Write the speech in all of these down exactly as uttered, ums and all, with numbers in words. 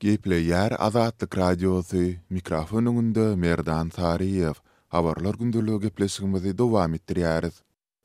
Gepleýär Azatlyk Radiosy, mikrofon öňünde Merdan Saryýew. Habarlar gündeligi gepleşigimizi dowam etdirýäris.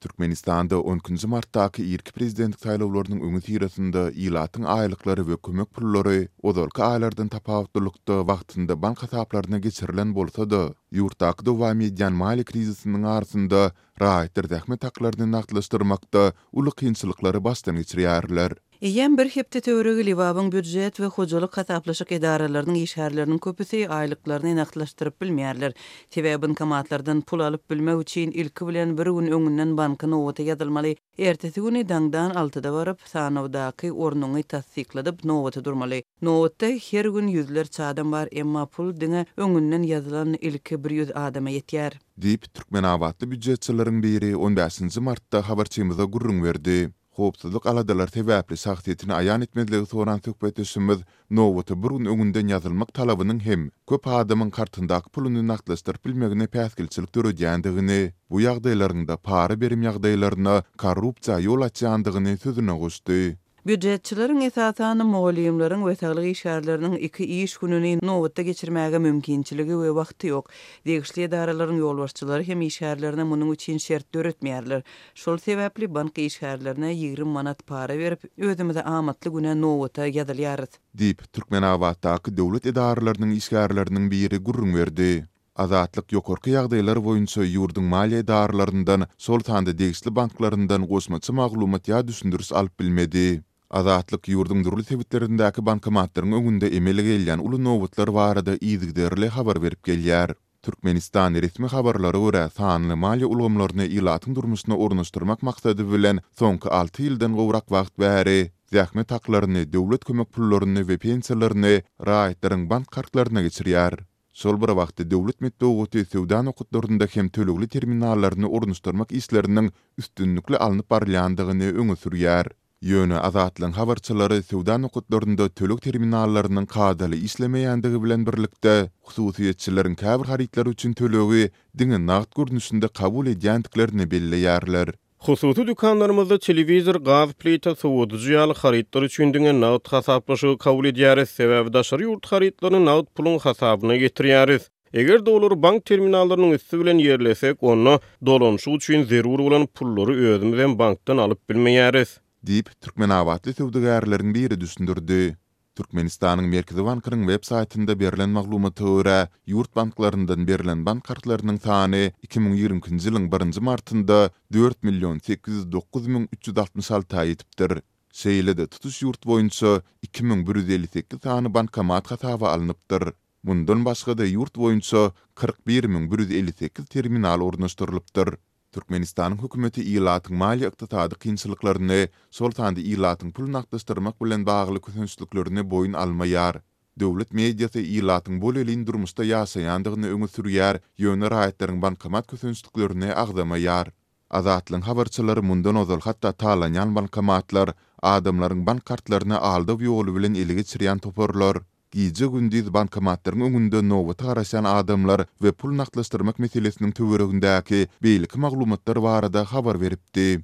Türkmenistanda on ikinji martdaky irki prezidentlik saýlawlarynyň öňüsyrasynda ilatyň aýlyklary we kömek pullary ozalky aýlardan tapawutlylykda wagtynda bank hasaplaryna geçirilen bolsa-da, ýurtdaky dowam edýän maliýe krizisiniň arasynda raýatlar zähmet haklaryny nagtlaşdyrmakda uly kynçylyklary başdan geçirýärler. Eýýäm bir hepde töweregi Lebabyň býujet we hojalyk hasaplaşyk edaralarynyň işgärleriniň köpüsi aýlyklaryny nagtlaşdyryp bilmeýärler. Sebäbi bankomatlardan pul alyp bilmek üçin ilki bilen bir gün öňünden banka nobata ýazylmaly. Ertesi güni daňdan altyda baryp, sanawdaky ornuňy tassykladyp nobata durmaly. Nobatda her gün ýüzlerçe adam bar, emma pul diňe öňünden ýazylan ilki bir ýüz adama ýetýär. Diýip, türkmenabatly býujetçileriň biri on bäşinji martda habarçymyza gürrüň berdi. Howpsuzlyk aladalary sebäpli şahsyýetini aýan etmezligi soran söhbetdeşimiz nobata bir gün öňünden ýazylmak talabynyň hem köp adamyň kartyndaky puluny nagtlaşdyryp bilmegine päsgelçilik döredýändigini, bu ýagdaýlaryň-da para berim ýagdaýlaryna, korrupsiýa ýol açýandygyny sözüne goşdy. Býujetçileriň, esasan mugallymlaryň we saglyk işgärleriniň iki iş gününi nobatda geçirmäge mümkinçiligi we wagty ýok. Degişli edaralaryň ýolbaşçylary hem işgärlerine munuň üçin şert döretmeýärler. Şol sebäpli bank işgärlerine ýigrimi manat para berip, özümize amatly güne nobata ýazylýarys. Diýip, Türkmenabatdaky döwlet edaralarynyň işgärleriniň biri gürrüň berdi. Azatlyk ýokarky ýagdaýlar boýunça ýurduň maliýe edaralaryndan, şol sanda degişli banklaryndan goşmaça maglumat ýa düşündiriş alyp bilmedi. Azatlyk ýurduň dürli sebitlerindäki bankomatlaryň öňünde emele gelýän uly nobatlar barada yzygiderli habar berip gelýär. Türkmenistan resmi habarlara görä sanly maliýe ulgamlaryny ilatyň durmuşyna ornaşdyrmak maksady bilen soňky alty ýyldan gowrak wagt bäri zähmet haklaryny, döwlet kömek pullaryny we pensiýalaryny raýatlaryň bank kartlaryna geçirýär. Şol bir wagtda döwlet metbugaty söwda nokatlarynda hem tölegli terminallaryny ornaşdyrmak işleriniň üstünlikli alnyp barylýandygyny öňe sürýär. Ýöne Azatlygyň habarçylary söwda nokatlarynda töleg terminallarynyň kadaly işlemeýändigi bilen birlikde, hususyýetçileriň käbir harytlar üçin tölegi diňe nagt görnüşinde kabul edýändiklerini belleýärler. Hususy dükanlarymyzda telewizor, gaz plita, sowadyjy ýaly harytlar üçin diňe nagt hasaplaşygy kabul edýäris, sebäbi daşary ýurt harytlaryny nagt puluň hasabyna getirýäris. Eger-de olary bank terminallarynyň üsti bilen ýerlesek, onda dolanyşyk üçin zerur bolan pullary özümizem bankdan alyp bilmeýäris. Diýip, türkmenabatly söwdagärleriň biri düşündirdi. Türkmenistanyň Merkezi bankynyň web saýtynda berlen maglumata görä, ýurt banklaryndan berlen bank kartlarynyň sany iki müň ýigrimi ikinji ýylyň birinji martynda dört million sekiz ýüz dokuz müň üç ýüz altmyş alta ýetipdir. Şeýle-de tutuş ýurt boýunça iki müň bir ýüz elli sekiz sany bankomat hasaba alnypdyr. Mundan başga-da ýurt boýunça kyrk bir müň bir ýüz elli sekiz terminal ornaşdyrylypdyr. Türkmenistanyň hökümeti ilatyň maliýe-ykdysady kynçylyklaryny, şol sanda ilatyň pul nagtlaşdyrmak bilen bagly kösençliklerini boýun almaýar. Döwlet mediasy ilatyň bolelin durmuşda ýaşaýandygyny öňe sürýär, ýöne raýatlaryň bankomat kösençliklerini agzamaýar. Azatlygyň habarçylary mundan ozal hatda talanýan bankomatlar, adamlaryň bank kartlaryny aldaw ýoly bilen ele geçirýän toparlar, gije-gündiz bankomatlaryň öňünde nobata garaşýan adamlar we pul nagtlaşdyrmak meselesiniň töweregindäki beýleki maglumatlar barada habar beripdi.